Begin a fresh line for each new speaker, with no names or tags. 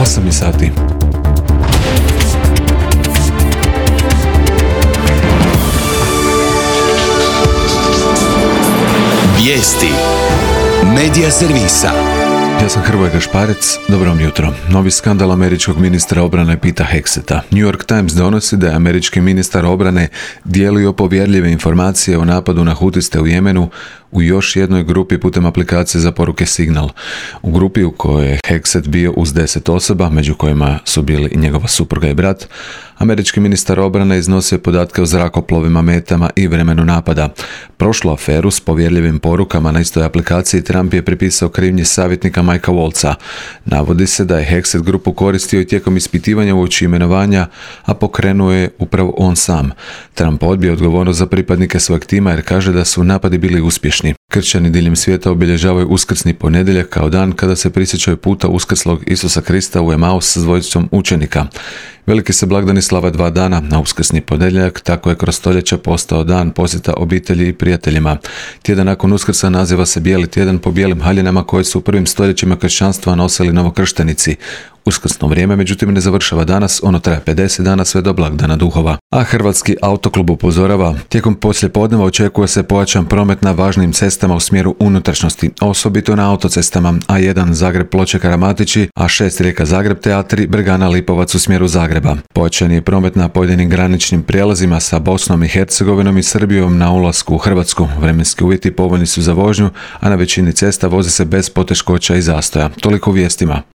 8 sati.
Vijesti Medija servisa.
Ja sam Hrvoje Gašparec, dobro vam jutro. Novi skandal američkog ministra obrane Peta Hegseta. New York Times donosi da je američki ministar obrane dijelio povjerljive informacije o napadu na Hutiste u Jemenu u još jednoj grupi putem aplikacije za poruke Signal. U grupi u kojoj je Hegset bio uz 10 osoba, među kojima su bili i njegova supruga i brat, američki ministar obrane iznosio podatke o zrakoplovima, metama i vremenu napada. Prošlu aferu s povjerljivim porukama na istoj aplikaciji Trump je pripisao krivnji savjetnika Mikea Waltza. Navodi se da je Hegset grupu koristio i tijekom ispitivanja uoči imenovanja, a pokrenuo je upravo on sam. Trump odbio odgovornost za pripadnike svojeg tima jer kaže da su napadi bili uspješni. Kršćani diljem svijeta obilježavaju uskrsni ponedjeljak kao dan kada se prisjećaju puta uskrslog Isusa Krista u Emaus s dvojicom učenika. Veliki se blagdani slava 2 dana, na uskrsni ponedjeljak tako je kroz stoljeća postao dan posjeta obitelji i prijateljima. Tjedan nakon Uskrsa naziva se Bijeli tjedan po bijelim haljinama koje su u prvim stoljećima kršćanstva nosili novokrštenici. Uskrsno vrijeme, međutim, ne završava danas, ono traje 50 dana sve do blagdana duhova. A Hrvatski autoklub upozorava, tijekom poslijepodneva očekuje se pojačan promet na važnim cestama u smjeru unutrašnjosti, osobito na autocestama A1 Zagreb-Ploče-Karamatići, A6 Rijeka-Zagreb te A3 Bregana-Lipovac u smjeru Zagreba. Pojačan je promet na pojedinim graničnim prijelazima sa Bosnom i Hercegovinom i Srbijom na ulasku u Hrvatsku. Vremenski uvjeti povoljni su za vožnju, a na većini cesta vozi se bez poteškoća i zastoja. Toliko u vijestima.